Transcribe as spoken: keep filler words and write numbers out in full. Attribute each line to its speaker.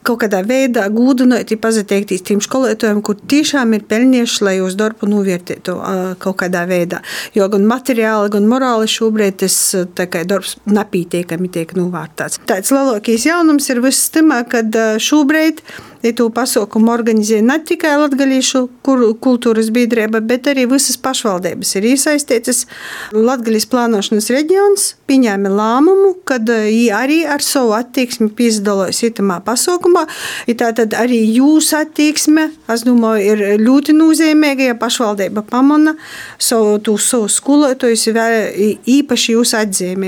Speaker 1: kaut kādā veidā gūdinot, pazateikties tiem skolotājiem, kur tiešām ir pelnījuši, lai jūs darbu novērtētu kaut kādā veidā. Jo gan materiāli, gan morāli šobrīd tas tā kā darbs nepītiekami tiek novērtēts. Tāds lielākais jaunums ir viss tamā, kad šobrīd to pasaukumu organizē ne tikai latgalīšu kultūras biedrība, bet arī visas pašvaldības ir iesaistītas. Latgalīs plānošanas reģions pieņēma lēmumu, kad viņi arī ar savu attieksmi piedalās itamā pasaukumā. Tātad arī jūsu attieksme, es domāju, ir ļoti nozīmīga, ja pašvaldība pamana savu, savu skolotājus īpaši jūs atzīmēt.